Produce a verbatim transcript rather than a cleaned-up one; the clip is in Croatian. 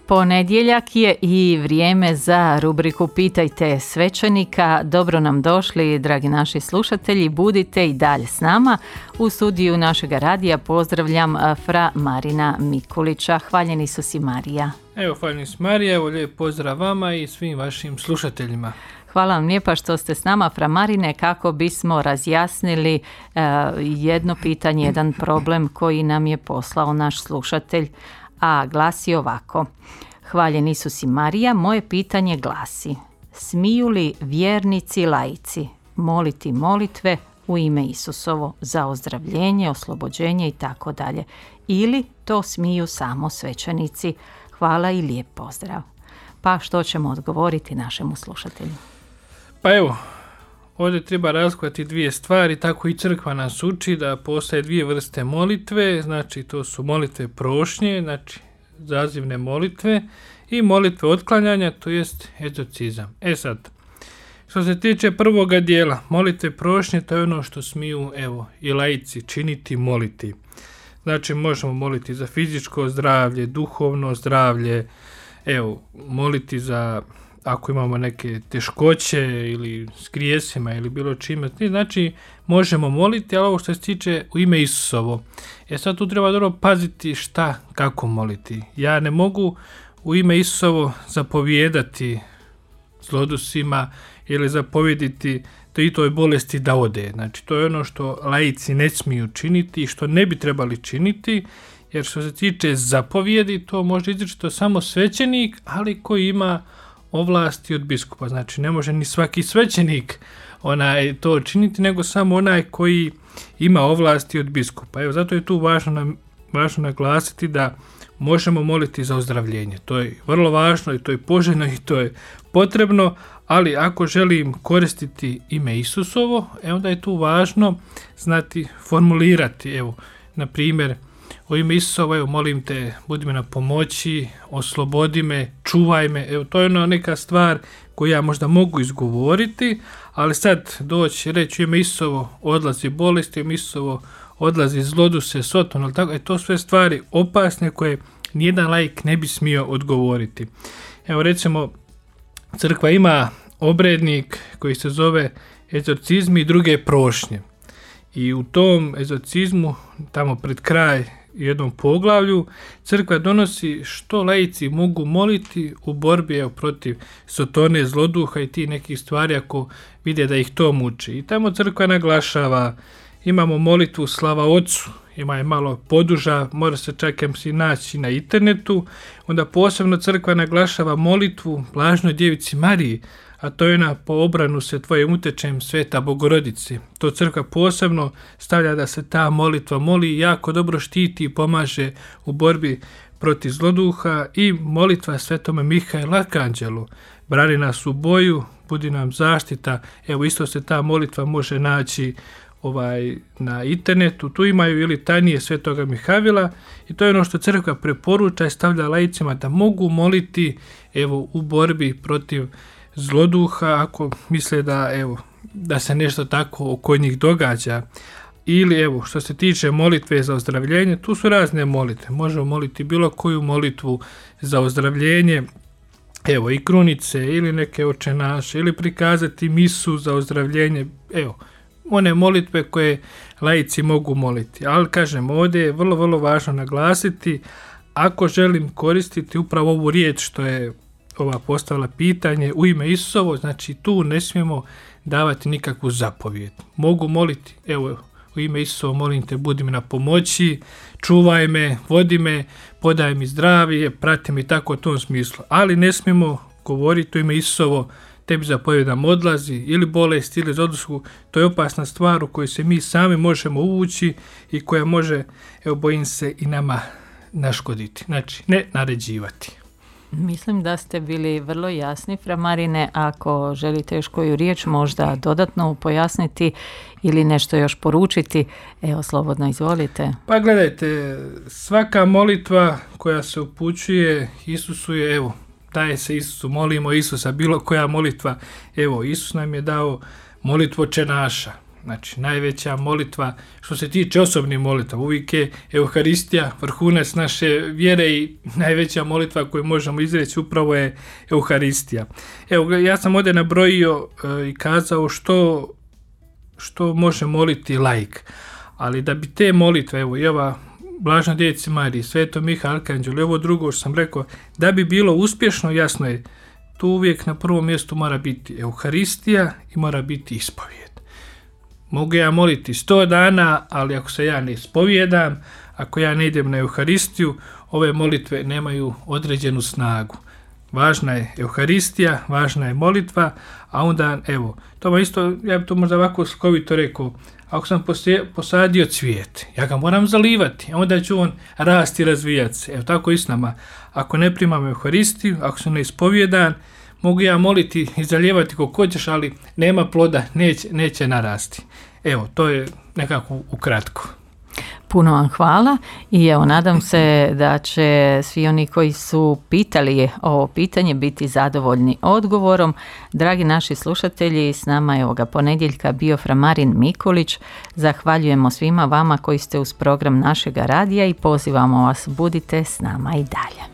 Ponedjeljak je i vrijeme za rubriku Pitajte svećenika. Dobro nam došli, dragi naši slušatelji, budite i dalje s nama. U studiju našega radija pozdravljam fra Marina Mikulića. Hvaljeni su si, Marija. Evo, hvaljeni su Marija, evo lijep pozdrav vama i svim vašim slušateljima. Hvala vam lijepa što ste s nama, fra Marine, kako bismo razjasnili uh, jedno pitanje, jedan problem koji nam je poslao naš slušatelj, a glasi ovako. Hvaljeni su si, Marija, moje pitanje glasi: smiju li vjernici laici moliti molitve u ime Isusovo za ozdravljenje, oslobođenje i tako dalje, ili to smiju samo svećenici? Hvala i lijep pozdrav. Pa što ćemo odgovoriti našemu slušatelju? Pa evo, ovdje treba razlikovati dvije stvari, tako i crkva nas uči da postoje dvije vrste molitve, znači to su molitve prošnje, znači zazivne molitve, i molitve otklanjanja, to jest egzorcizam. E sad, što se tiče prvoga dijela, molitve prošnje, to je ono što smiju, evo, i laici činiti, moliti. Znači možemo moliti za fizičko zdravlje, duhovno zdravlje, evo, moliti za ako imamo neke teškoće ili s grijesima ili bilo čime, znači možemo moliti, ali ovo što se tiče u ime Isusovo. E sad tu treba dobro paziti šta, kako moliti. Ja ne mogu u ime Isusovo zapovijedati zlodusima ili zapovjediti to i toj bolesti da ode. Znači to je ono što laici ne smiju činiti i što ne bi trebali činiti, jer što se tiče zapovjedi, to može izričito samo svećenik, ali koji ima ovlasti od biskupa. Znači ne može ni svaki svećenik onaj to činiti, nego samo onaj koji ima ovlasti od biskupa. Evo, zato je tu važno, nam, važno naglasiti da možemo moliti za ozdravljenje. To je vrlo važno i to je poželjno i to je potrebno, ali ako želim koristiti ime Isusovo, e onda je tu važno znati formulirati. Evo, na primjer, u ime Isusovo, evo, molim te, budi mi na pomoći, oslobodi me, čuvaj me. Evo, to je ona neka stvar koju ja možda mogu izgovoriti, ali sad doći reći u ime Isusovo odlazi bolesti, u ime Isusovo odlazi zloduse, soton, ali tako, e, to sve stvari opasne koje nijedan laik ne bi smio odgovoriti. Evo, recimo, crkva ima obrednik koji se zove egzorcizmi i druge prošnje. I u tom egzorcizmu, tamo pred kraj jednom poglavlju, crkva donosi što laici mogu moliti u borbi, evo, protiv sotone, zloduha i ti nekih stvari ako vide da ih to muči. I tamo crkva naglašava, imamo molitvu slava Otcu, ima je malo poduža, mora se čak si naći na internetu. Onda posebno crkva naglašava molitvu Blažnoj Djevici Mariji, a to je ona po obranu se tvojim utečem Sveta Bogorodice. To crkva posebno stavlja da se ta molitva moli i jako dobro štiti i pomaže u borbi protiv zloduha, i molitva Svetome Mihajlu Arkanđelu. Brani nas u boju, budi nam zaštita. Evo, isto se ta molitva može naći ovaj na internetu. Tu imaju ili tanije Svetoga Mihajla, i to je ono što crkva preporuča i stavlja laicima da mogu moliti, evo, u borbi protiv zloduha ako misle da, evo, da se nešto tako oko njih događa. Ili, evo, što se tiče molitve za ozdravljenje, tu su razne molitve. Možemo moliti bilo koju molitvu za ozdravljenje, evo, i krunice ili neke oče naše, ili prikazati misu za ozdravljenje, evo, one molitve koje laici mogu moliti. Ali, kažem, ovdje je vrlo, vrlo važno naglasiti, ako želim koristiti upravo ovu riječ što je ova postavila pitanje u ime Isusovo, znači tu ne smijemo davati nikakvu zapovijed. Mogu moliti, evo, u ime Isusovo molim te, budi mi na pomoći, čuvaj me, vodi me, podaj mi zdravlje, prati me, tako u tom smislu. Ali ne smijemo govoriti u ime Isusovo, tebi zapovjedam odlazi, ili bolest, ili zlodushu. To je opasna stvar u kojoj se mi sami možemo uvući i koja može, evo, bojim se, i nama naškoditi. Znači, ne naređivati. Mislim da ste bili vrlo jasni, fra Marine. Ako želite još koju riječ možda dodatno pojasniti ili nešto još poručiti, evo, slobodno izvolite. Pa gledajte, svaka molitva koja se upućuje Isusu je, evo, daje se Isusu, molimo Isusa, bilo koja molitva, evo, Isus nam je dao molitvu Oče naša. Znači, najveća molitva što se tiče osobnih molitva, uvijek je Euharistija, vrhunac naše vjere i najveća molitva koju možemo izreći upravo je Euharistija. Evo, ja sam ovdje nabrojio e, i kazao što, što može moliti laik, ali da bi te molitve, evo i ova Blažna Djevici Mariji, Sveto Miha Arkanđel i ovo drugo što sam rekao, da bi bilo uspješno, jasno je, tu uvijek na prvom mjestu mora biti Euharistija i mora biti ispovijed. Mogu ja moliti sto dana, ali ako se ja ne ispovijedam, ako ja ne idem na Euharistiju, ove molitve nemaju određenu snagu. Važna je Euharistija, važna je molitva, a onda, evo, to ma isto, ja bi to možda ovako slikovito rekao, ako sam posadio cvijet, ja ga moram zalivati, a onda ću on rasti i razvijati se. Evo, tako i s nama. Ako ne primam Euharistiju, ako sam ne ispovjedan, mogu ja moliti i zalijevati kako hoćeš, ali nema ploda, neće, neće narasti. Evo, to je nekako ukratko. Puno vam hvala i evo, nadam se da će svi oni koji su pitali ovo pitanje biti zadovoljni odgovorom. Dragi naši slušatelji, s nama je ovoga ponedjeljka bio fra Marin Mikulić. Zahvaljujemo svima vama koji ste uz program našega radija i pozivamo vas, budite s nama i dalje.